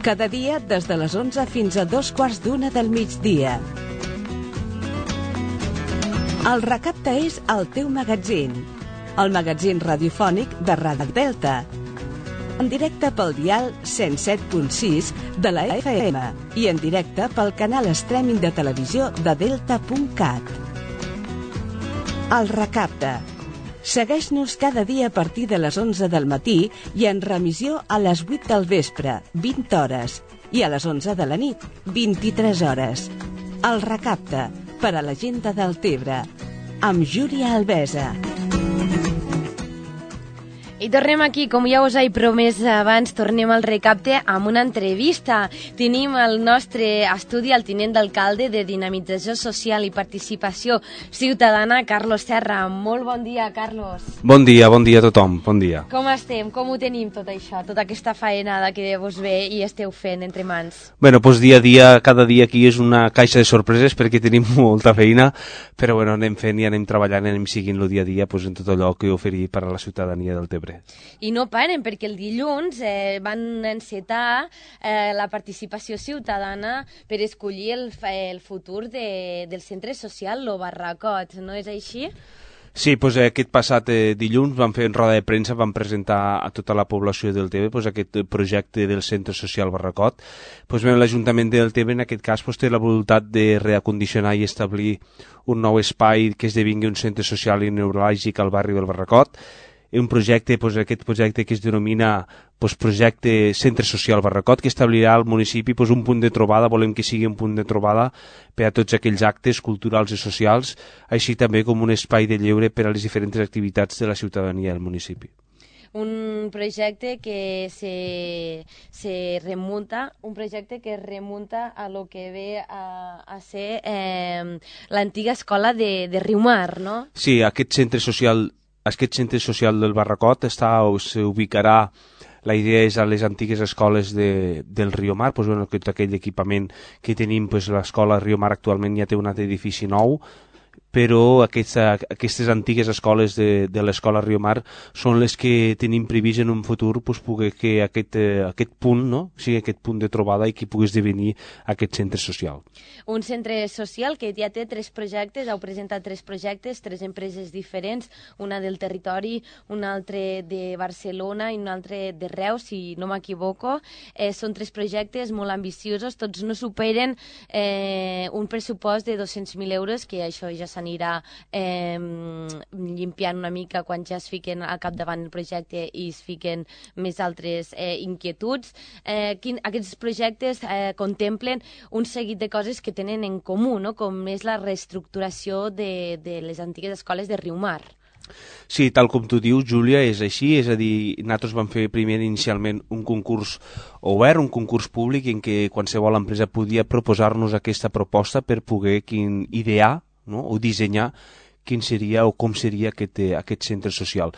Cada dia des de les 11 fins a 2:15 del migdia. El Recapte és el teu magatzín, el magatzín radiofònic de Ràdio Delta, en directe pel dial 107.6 de la FM i en directe pel canal streaming de televisió de delta.cat. El Recapte. Segueix-nos cada dia a partir de les 11 del matí i en remissió a les 8 del vespre, 20 hores, i a les 11 de la nit, 23 hores. El Recapte, per a la gent de Deltebre, amb Júlia Albesa. I tornem aquí, com ja us he promès abans, tornem al Recapte amb una entrevista. Tenim al nostre estudi el tinent d'alcalde de Dinamització Social i Participació Ciutadana, Carlos Serra. Molt bon dia, Carlos. Bon dia a tothom, bon dia. Com estem? Com ho tenim tot això, tota aquesta faenada que vos ve i esteu fent entre mans? Bueno, doncs dia a dia, cada dia aquí és una caixa de sorpreses perquè tenim molta feina, però bueno, anem fent i anem treballant, anem seguint el dia a dia en tot allò que oferir per a la ciutadania del Tebre. I no paren, perquè el dilluns van encetar la participació ciutadana per escollir el futur del centre social, lo Barracot, no és així? Sí, doncs aquest passat dilluns vam fer en roda de premsa, vam presentar a tota la població del Tebre aquest projecte del centre social Barracot. L'Ajuntament del Tebre en aquest cas té la voluntat de reacondicionar i establir un nou espai que esdevingui un centre social i neuràlgic al barri del Barracot. Un projecte, aquest projecte que es denomina projecte Centre Social Barracot, que establirà al municipi un punt de trobada, volem que sigui un punt de trobada per a tots aquells actes culturals i socials, així també com un espai de lleure per a les diferents activitats de la ciutadania del municipi. Un projecte que se remunta, a lo que ve a ser l'antiga escola de Riumar, no? Sí, aquest centre social del Barracot s'ubicarà, la idea és a les antigues escoles del Riumar, tot aquell equipament que tenim, l'escola Riumar actualment ja té un altre edifici nou, però aquestes antigues escoles de l'escola Riumar són les que tenim previst en un futur poder que aquest punt, no? sigui aquest punt de trobada i que pugui esdevenir aquest centre social. Un centre social que ja té 3 projectes, heu presentat 3 projectes, 3 empreses diferents, una del territori, una altra de Barcelona i una altra de Reus, si no m'equivoco. Són 3 projectes molt ambiciosos, tots no superen un pressupost de 200.000 euros, que això ja s'anirà limpiant una mica quan ja es fiquen al capdavant el projecte i es fiquen més altres inquietuds. Aquests projectes contemplen un seguit de coses que tenen en comú, no? Com és la reestructuració de les antigues escoles de Riumar. Sí, tal com tu dius, Júlia, és així, és a dir, nosaltres vam fer primer inicialment un concurs obert, un concurs públic en què qualsevol empresa podia proposar-nos aquesta proposta per poder idear, no? o dissenyar quin seria o com seria aquest centre social.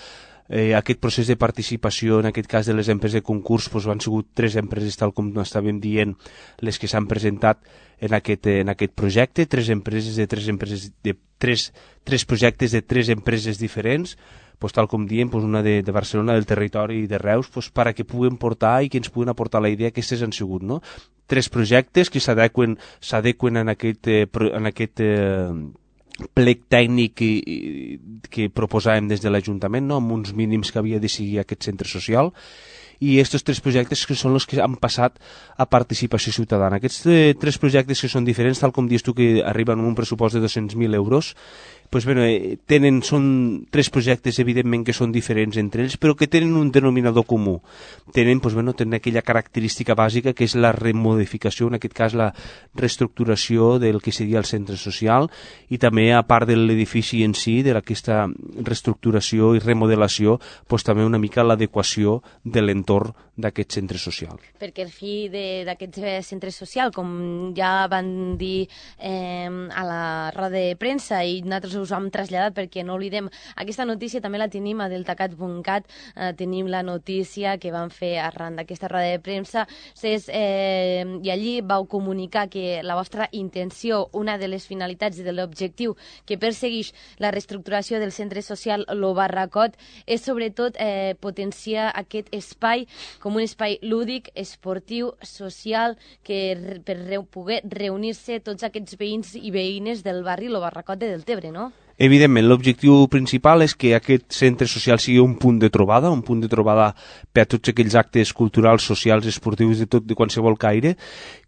Aquest procés de participació, en aquest cas de les empreses de concurs, han sigut 3 empreses, tal com estàvem dient, les que s'han presentat en aquest projecte, 3 projectes de 3 empreses diferents, tal com diem, una de Barcelona, del territori i de Reus, perquè puguen portar i que ens puguen aportar la idea que aquestes han sigut, no? 3 projectes que s'adequen en aquest plec tècnic que proposàvem des de l'Ajuntament, no? amb uns mínims que havia de seguir aquest centre social, i aquests 3 projectes que són els que han passat a participació ciutadana. Aquests 3 projectes que són diferents, tal com dius tu, que arriben amb un pressupost de 200.000 euros, són 3 projectes evidentment que són diferents entre ells, però que tenen un denominador comú. Tenen aquella característica bàsica que és la remodificació, en aquest cas la reestructuració del que seria el centre social, i també, a part de l'edifici en si, d'aquesta reestructuració i remodelació, també una mica l'adequació de l'entorn d'aquest centre social. Perquè el fi d'aquest centre social, com ja van dir a la roda de premsa, i nosaltres us hem traslladat perquè no oblidem. Aquesta notícia també la tenim a deltacat.cat, tenim la notícia que van fer arran d'aquesta roda de premsa i allí vau comunicar que la vostra intenció, una de les finalitats i de l'objectiu que persegueix la reestructuració del centre social Lo Barracot és sobretot potenciar aquest espai com un espai lúdic, esportiu, social, que per poder reunir-se tots aquests veïns i veïnes del barri Lo Barracot de Deltebre, no? Evidentment, l'objectiu principal és que aquest centre social sigui un punt de trobada per a tots aquells actes culturals, socials, esportius, de qualsevol caire,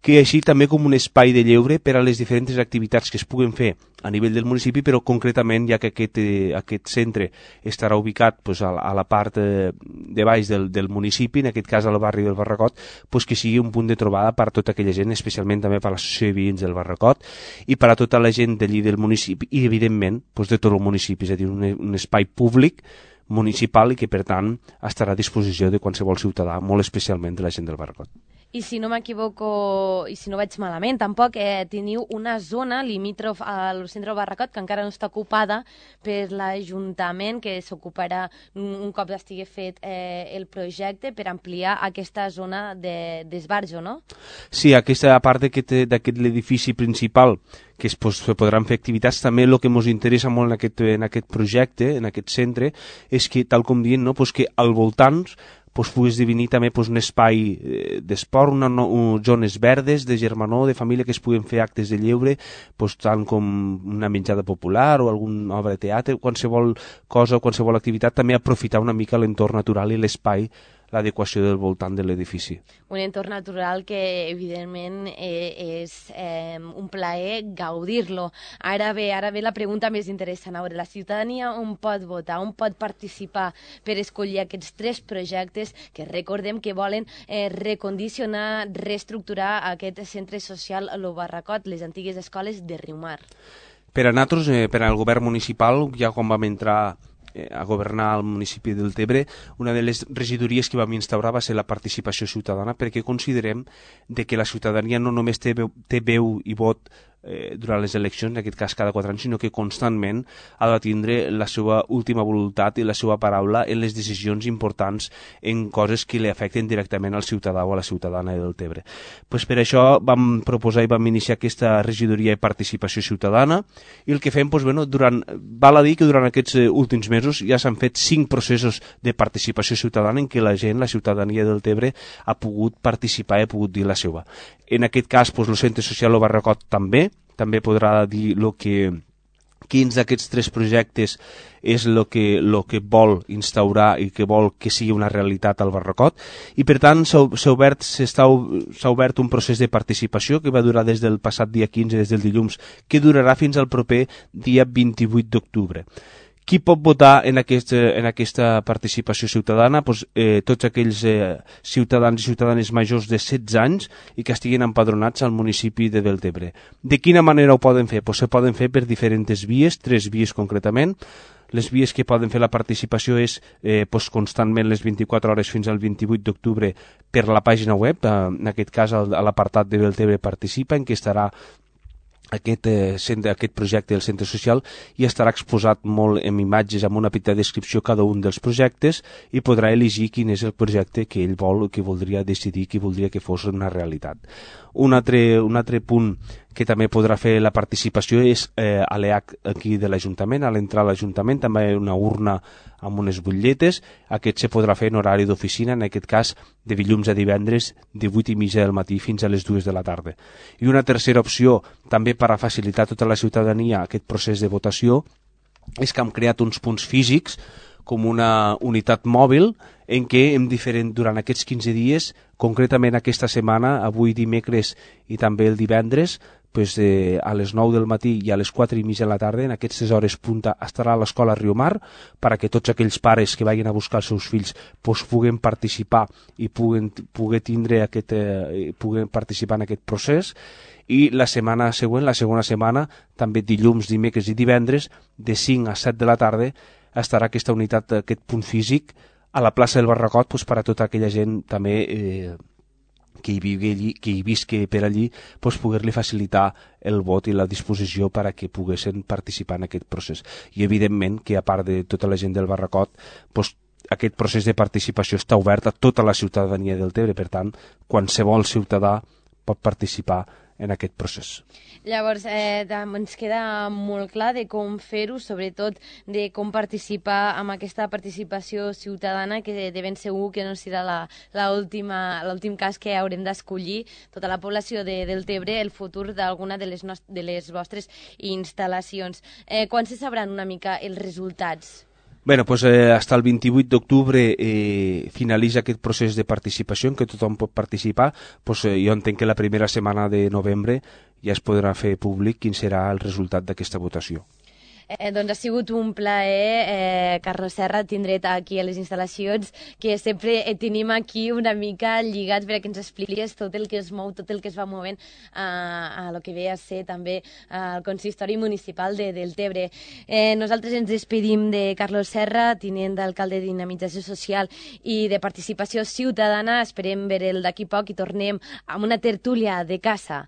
que així també com un espai de lleure per a les diferents activitats que es puguen fer a nivell del municipi, però concretament, ja que aquest centre estarà ubicat a la part de baix del municipi, en aquest cas al barri del Barracot, que sigui un punt de trobada per a tota aquella gent, especialment també per a l'associació de veïns del Barracot i per a tota la gent d'allí del municipi i, evidentment, de tot el municipi, és a dir, un espai públic municipal i que, per tant, estarà a disposició de qualsevol ciutadà, molt especialment de la gent del Barracot. I si no m'equivoco, i si no vaig malament, tampoc teniu una zona limítrof al centre del Barracot que encara no està ocupada per l'Ajuntament, que s'ocuparà un cop estigui fet el projecte per ampliar aquesta zona d'esbarjo, no? Sí, aquesta part d'aquest l'edifici principal que es podran fer activitats, també el que ens interessa molt en aquest projecte, en aquest centre, és que, tal com dient, que al voltant pugui esdevenir també un espai d'esport, zones verdes, de germanor, de família, que es puguen fer actes de lleure, tant com una menjada popular o alguna obra de teatre, qualsevol cosa, qualsevol activitat, també aprofitar una mica l'entorn natural i l'espai, l'adequació del voltant de l'edifici. Un entorn natural que, evidentment, és un plaer gaudir-lo. Ara ve la pregunta més interessant. A veure, la ciutadania on pot votar, on pot participar per escollir aquests 3 projectes que recordem que volen recondicionar, reestructurar aquest centre social Lo Barracot, les antigues escoles de Riumar. Per a nosaltres, per al govern municipal, ja quan vam entrar a governar al municipi del Tebre, una de les regidories que vam instaurar va ser la participació ciutadana, perquè considerem que la ciutadania no només té veu i vot durant les eleccions, en aquest cas cada 4 anys, sinó que constantment ha de tindre la seva última voluntat i la seva paraula en les decisions importants en coses que li afecten directament al ciutadà o a la ciutadana del Tebre. Per això vam proposar i vam iniciar aquesta regidoria de participació ciutadana i el que fem, val a dir que durant aquests últims mesos ja s'han fet 5 processos de participació ciutadana en què la gent, la ciutadania del Tebre, ha pogut participar i ha pogut dir la seva. En aquest cas, el centre social Lo Barracot també podrà dir quins d'aquests 3 projectes és el que vol instaurar i que vol que sigui una realitat al Barracot, i per tant s'ha obert un procés de participació que va durar des del passat dia 15, des del dilluns, que durarà fins al proper dia 28 d'octubre. Qui pot votar en aquesta participació ciutadana? Tots aquells ciutadans i ciutadanes majors de 16 anys i que estiguin empadronats al municipi de Deltebre. De quina manera ho poden fer? Se poden fer per diferents vies, 3 vies concretament. Les vies que poden fer la participació és constantment les 24 hores fins al 28 d'octubre per la pàgina web, en aquest cas a l'apartat de Deltebre Participa, en què estarà aquest projecte del centre social i estarà exposat molt en imatges, amb una petita descripció cada un dels projectes, i podrà elegir quin és el projecte que ell vol, que voldria decidir, que voldria que fos una realitat. Un altre punt que també podrà fer la participació és a l'EAC aquí de l'Ajuntament. A l'entrar a l'Ajuntament també hi ha una urna amb unes butlletes. Aquest se podrà fer en horari d'oficina, en aquest cas de dilluns a divendres, de 8:30 del matí fins a les 2 de la tarda. I una tercera opció, també per a facilitar a tota la ciutadania aquest procés de votació, és que hem creat uns punts físics com una unitat mòbil en què durant aquests 15 dies, concretament aquesta setmana, avui dimecres i també el divendres, a les 9 del matí i a les 4:30 de la tarda, en aquestes hores punta, estarà a l'escola Riumar perquè tots aquells pares que vagin a buscar els seus fills puguen participar i puguen participar en aquest procés. I la setmana següent, la segona setmana, també dilluns, dimecres i divendres, de 5 a 7 de la tarda, estarà aquesta unitat, aquest punt físic, a la plaça del Barracot, per a tota aquella gent també que hi visqui per allí, doncs poder-li facilitar el vot i la disposició per a que poguessin participar en aquest procés. I evidentment que a part de tota la gent del Barracot, doncs aquest procés de participació està obert a tota la ciutadania del Tebre, per tant, qualsevol ciutadà pot participar en aquest procés. Llavors, ens queda molt clar de com fer-ho, sobretot de com participar amb aquesta participació ciutadana, que de ben segur que no serà l'últim cas que haurem d'escollir tota la població del Tebre el futur d'alguna de les vostres instal·lacions. Quan se sabran una mica els resultats? Bé, pues, hasta el 28 d'octubre finalitza aquest procés de participació en què tothom pot participar. Pues, jo entenc que la primera setmana de novembre ja es podrà fer públic quin serà el resultat d'aquesta votació. Doncs ha sigut un plaer, Carlos Serra, tindre't aquí a les instal·lacions, que sempre tenim aquí una mica lligats perquè ens expliquis tot el que es mou, tot el que es va movent a lo que ve a ser també el consistori municipal del Tebre. Nosaltres ens despedim de Carlos Serra, tinent d'alcalde de Dinamització Social i de Participació Ciutadana. Esperem veure'l d'aquí poc i tornem amb una tertúlia de casa.